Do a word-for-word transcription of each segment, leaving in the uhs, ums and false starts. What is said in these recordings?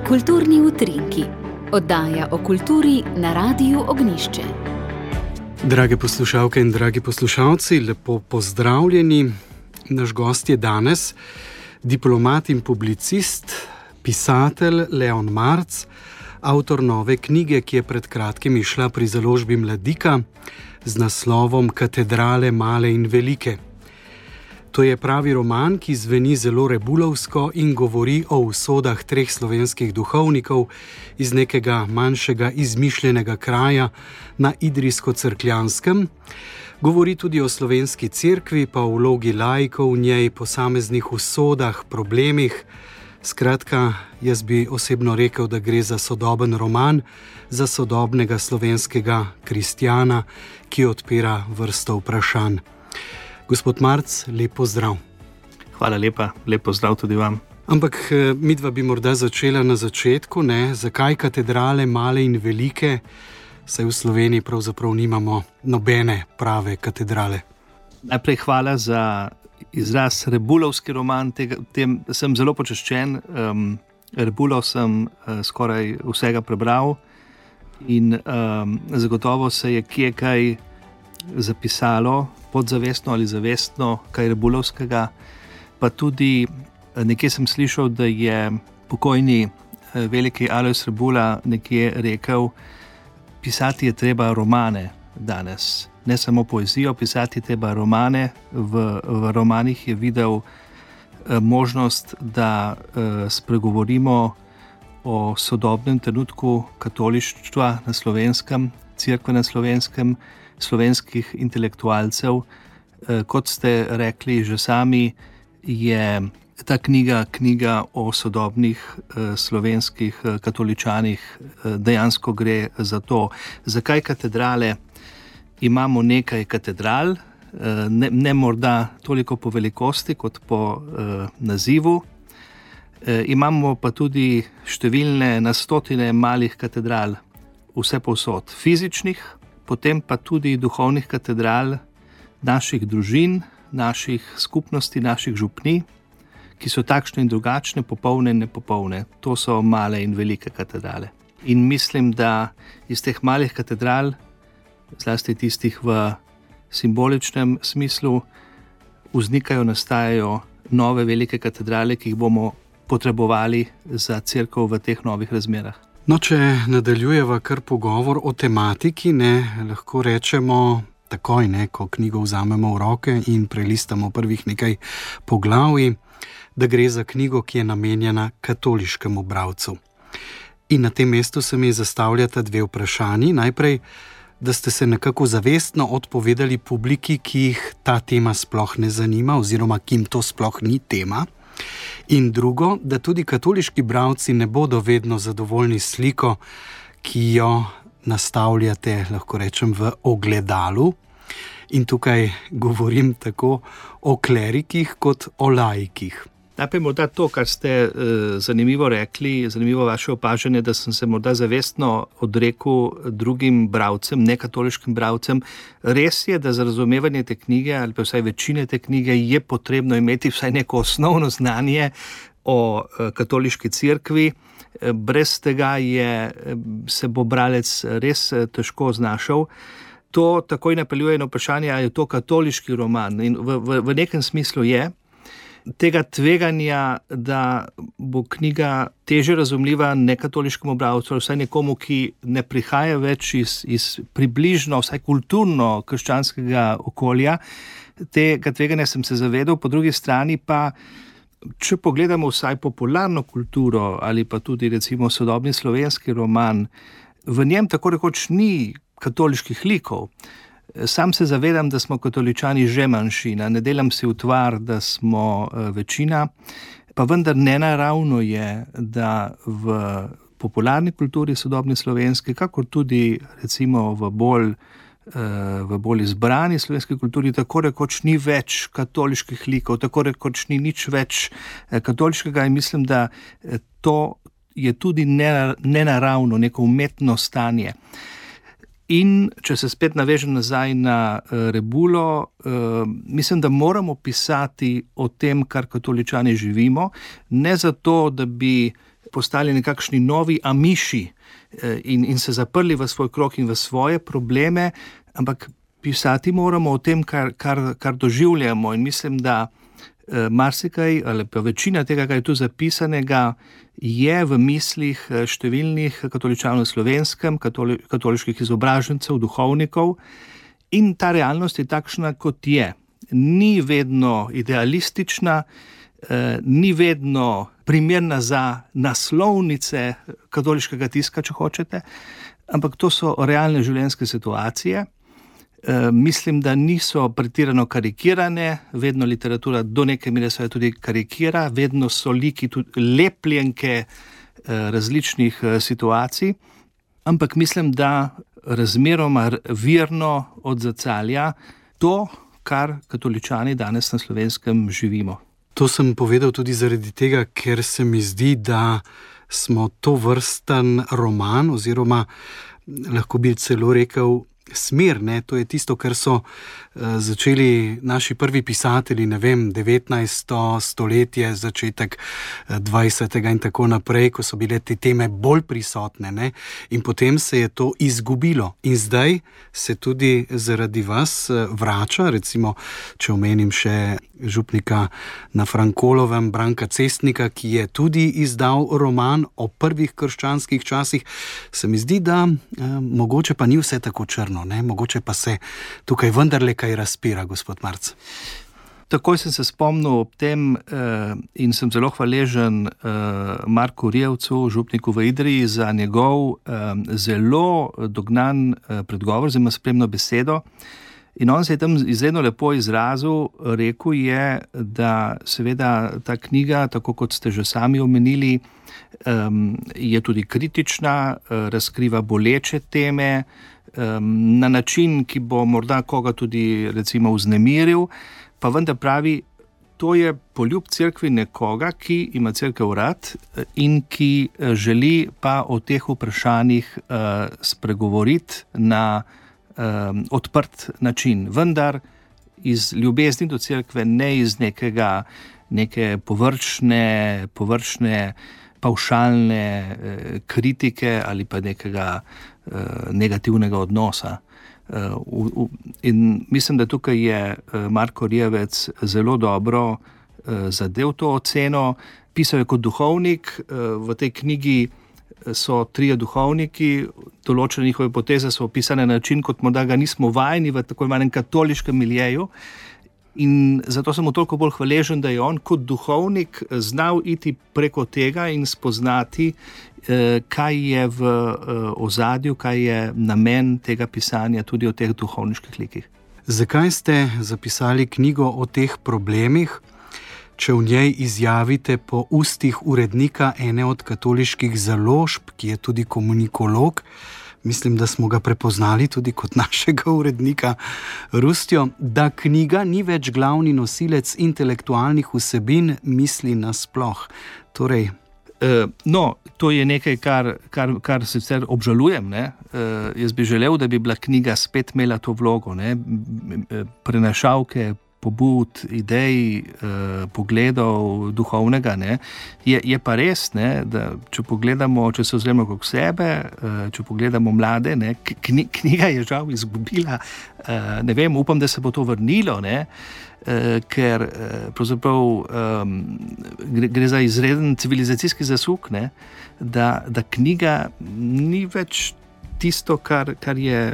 Kulturni utrinki. Oddaja o kulturi na Radiu Ognjišče. Drage poslušalke in dragi poslušalci, lepo pozdravljeni. Naš gost je danes diplomat in publicist, pisatelj Leon Marc, avtor nove knjige, ki je pred kratkim izšla pri založbi Mladika z naslovom Katedrale male in velike. To je pravi roman, ki zveni zelo rebulovsko in govori o usodah treh slovenskih duhovnikov iz nekega manjšega izmišljenega kraja na Idrijsko-Cerkljanskem. Govori tudi o slovenski cerkvi, pa o vlogi laikov v njej, posameznih usodah, problemih. Skratka, jaz bi osebno rekel, da gre za sodoben roman, za sodobnega slovenskega kristjana, ki odpira vrsto vprašanj. Gospod Marc, lep pozdrav. Hvala lepa, lep pozdrav tudi vam. Ampak midva bi morda začela na začetku, ne? Zakaj katedrale male in velike? Saj v Sloveniji pravzaprav nimamo nobene prave katedrale. Najprej hvala za izraz rebulovski roman, tega, tem sem zelo počaščen. Um, Rebulov sem uh, skoraj vsega prebral in um, zagotovo se je kje kaj zapisalo, podzavestno ali zavestno, kaj rebulovskega, pa tudi nekje sem slišal, da je pokojni veliki Alojz Rebula nekje rekel, pisati je treba romane danes, ne samo poezijo, pisati je treba romane. V, v romanih je videl možnost, da spregovorimo o sodobnem trenutku katolištva na Slovenskem, cerkve na Slovenskem, slovenskih intelektualcev. Kot ste rekli že sami, je ta knjiga knjiga o sodobnih slovenskih katoličanih. Dejansko gre za to. Zakaj katedrale? Imamo nekaj katedral, ne, ne morda toliko po velikosti kot po eh, nazivu. Eh, imamo pa tudi številne na stotine malih katedral, vse povsod fizičnih, potem pa tudi duhovnih katedral naših družin, naših skupnosti, naših župni, ki so takšne in drugačne, popolne in nepopolne. To so male in velike katedrale. In mislim, da iz teh malih katedral, zlasti tistih v simboličnem smislu, vznikajo, nastajajo nove velike katedrale, ki jih bomo potrebovali za cerkev v teh novih razmerah. No, če nadaljujeva kar pogovor o tematiki, ne, lahko rečemo takoj, ne, ko knjigo vzamemo v roke in prelistamo prvih nekaj poglavij, da gre za knjigo, ki je namenjena katoliškemu bralcu. In na tem mestu se mi zastavljata dve vprašanji. Najprej, da ste se nekako zavestno odpovedali publiki, ki jih ta tema sploh ne zanima oziroma ki jim to sploh ni tema. In drugo, da tudi katoliški bralci ne bodo vedno zadovoljni s sliko, ki jo nastavljate, lahko rečem, v ogledalu. In tukaj govorim tako o klerikih kot o laikih. Najprej morda to, kar ste eh, zanimivo rekli, zanimivo vaše opažanje, da sem se morda zavestno odrekel drugim bralcem, nekatoliškim bralcem. Res je, da za razumevanje te knjige, ali pa vsaj večine te knjige, je potrebno imeti vsaj neko osnovno znanje o eh, katoliški cerkvi. Eh, brez tega je, se bo bralec res eh, težko znašel. To takoj napeljuje na vprašanje, ali je to katoliški roman. In v, v, v nekem smislu je. Tega tveganja, da bo knjiga teže razumljiva nekatoliškemu bralcu, vsaj nekomu, ki ne prihaja več iz, iz približno, vsaj kulturno krščanskega okolja, tega tveganja sem se zavedal. Po drugi strani pa, če pogledamo vsaj popularno kulturo ali pa tudi recimo sodobni slovenski roman, v njem tako rekoč ni katoliških likov. Sam se zavedam, da smo katoličani že manjšina, ne delam si utvar, da smo večina, pa vendar nenaravno je, da v popularni kulturi sodobni slovenski, kakor tudi recimo v bolj, v bolj izbrani slovenski kulturi, tako rekoč ni več katoliških likov, tako rekoč ni nič več katoliškega in mislim, da to je tudi nenaravno, neko umetno stanje. In če se spet navežem nazaj na uh, Rebulo, uh, mislim, da moramo pisati o tem, kar katoličani živimo, ne zato, da bi postali nekakšni novi amiši uh, in, in se zaprli v svoj krog in v svoje probleme, ampak pisati moramo o tem, kar, kar, kar doživljamo. In mislim, da uh, marsikaj ali pa večina tega, kar je tu zapisanega, je v mislih številnih katoličanov na Slovenskem, katoli, katoliških izobražencev, duhovnikov, in ta realnost je takšna, kot je. Ni vedno idealistična, eh, ni vedno primerna za naslovnice katoliškega tiska, če hočete, ampak to so realne življenjske situacije. E, mislim, da niso pretirano karikirane, vedno literatura do neke mere se tudi karikira, vedno so liki tudi lepljenke e, različnih e, situacij, ampak mislim, da razmeroma virno odzrcalja to, kar katoličani danes na Slovenskem živimo. To sem povedal tudi zaradi tega, ker se mi zdi, da smo to vrsten roman, oziroma lahko bi celo rekel smer, ne? To je tisto, kar so uh, začeli naši prvi pisatelji, ne vem, devetnajsto stoletje, začetek dvajsetega in tako naprej, ko so bile te teme bolj prisotne, ne? In potem se je to izgubilo. In zdaj se tudi zaradi vas vrača, recimo, če omenim še župnika na Frankolovem, Branka Cestnika, ki je tudi izdal roman o prvih krščanskih časih. Se mi zdi, da eh, mogoče pa ni vse tako črno, ne? Mogoče pa se tukaj vendarle kaj razpira, gospod Marc. Takoj sem se spomnil ob tem eh, in sem zelo hvaležen eh, Marku Rijevcu, župniku v Idriji, za njegov eh, zelo dognan eh, predgovor, zelo spremno besedo. In on se je tam izredno lepo izrazil, rekel je, da seveda ta knjiga, tako kot ste že sami omenili, um, je tudi kritična, razkriva boleče teme, um, na način, ki bo morda koga tudi recimo vznemiril, pa vendar pravi, to je poljub cerkvi nekoga, ki ima cerkev rad in ki želi pa o teh vprašanjih uh, spregovoriti na Um, odprt način, vendar iz ljubezni do cerkve, ne iz nekega, neke površne, površne pavšalne eh, kritike ali pa nekega eh, negativnega odnosa. Eh, v, v, in mislim, da tukaj je eh, Marko Rijevec zelo dobro eh, zadev to oceno. Pisal je kot duhovnik, eh, v tej knjigi so trije duhovniki, določene njihove poteze so opisane na način, kot morda ga nismo vajeni v tako imenem katoliškem miljeju. In zato sem mu toliko bolj hvaležen, da je on kot duhovnik znal iti preko tega in spoznati, kaj je v ozadju, kaj je namen tega pisanja tudi o teh duhovniških likih. Zakaj ste zapisali knjigo o teh problemih, če v njej izjavite po ustih urednika ene od katoliških založb, ki je tudi komunikolog, mislim, da smo ga prepoznali tudi kot našega urednika Rustjo, da knjiga ni več glavni nosilec intelektualnih vsebin misli nasploh. Torej, Uh, no, to je nekaj, kar, kar, kar sicer obžalujem. Ne? Uh, jaz bi želel, da bi bila knjiga spet imela to vlogo, ne? Prenašalke pobud, idej, eh, pogledov duhovnega. Ne? Je, je pa res, ne, da če pogledamo, če se ozremo okrog sebe, eh, če pogledamo mlade, ne, kni, knjiga je žal izgubila, eh, ne vem, upam, da se bo to vrnilo, ne, eh, ker eh, pravzaprav eh, gre, gre za izreden civilizacijski zasuk, ne, da, da knjiga ni več tisto, kar, kar je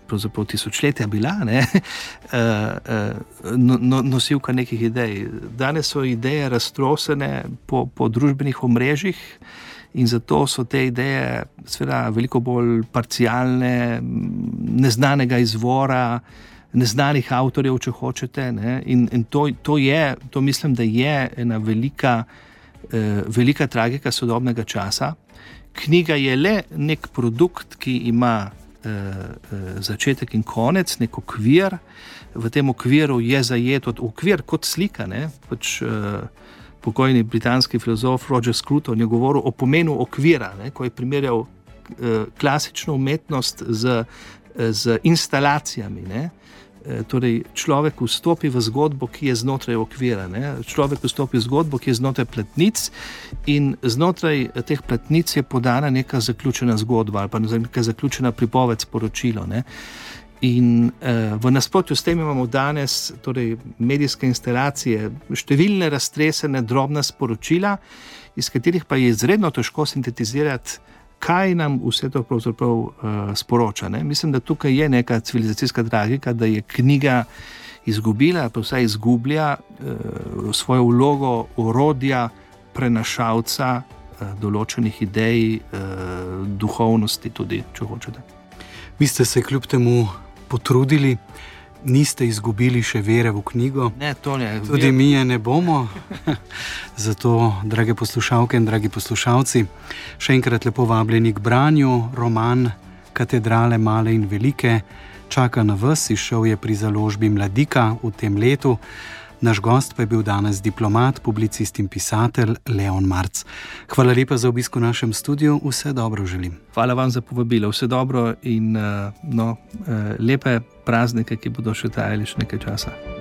pravzaprav tisočletja bila, ne, no, no, nosilka nekih idej. Danes so ideje raztrosene po, po družbenih omrežjih in zato so te ideje seveda veliko bolj parcialne, neznanega izvora, neznanih avtorjev, če hočete, ne, in, in to, to je, to mislim, da je ena velika, eh, velika tragika sodobnega časa. Knjiga je le nek produkt, ki ima začetek in konec, nek okvir. V tem okviru je zajet okvir kot slika. Ne? Pač, uh, pokojni britanski filozof Roger Scruton je govoril o pomenu okvira, ne? Ko je primerjal uh, klasično umetnost z uh, z instalacijami. Ne? Torej, človek vstopi v zgodbo, ki je znotraj okvira. Ne? Človek vstopi v zgodbo, ki je znotraj platnic, in znotraj teh platnic je podana neka zaključena zgodba ali pa neka zaključena pripoved, sporočilo. Ne? In eh, v nasprotju s tem imamo danes torej, medijske instalacije, številne raztresene, drobna sporočila, iz katerih pa je izredno težko sintetizirati, kaj nam vse to pravzaprav uh, sporoča. Ne? Mislim, da tukaj je neka civilizacijska tragika, da je knjiga izgubila, pa vsaj izgublja uh, svojo vlogo orodja, prenašalca uh, določenih idej, uh, duhovnosti tudi, če hočete. Vi ste se kljub temu potrudili, niste izgubili še vere v knjigo. Ne, to ne. Tudi mi je ne bomo. Zato, drage poslušalke in dragi poslušalci, še enkrat lepo vabljeni k branju. Roman Katedrale male in velike čaka na vas, izšel je pri založbi Mladika v tem letu. Naš gost pa je bil danes diplomat, publicist in pisatelj Leon Marc. Hvala lepa za obisk v našem studiu, vse dobro želim. Hvala vam za povabilo, vse dobro in no, lepe praznike, ki bodo še trajali še nekaj časa.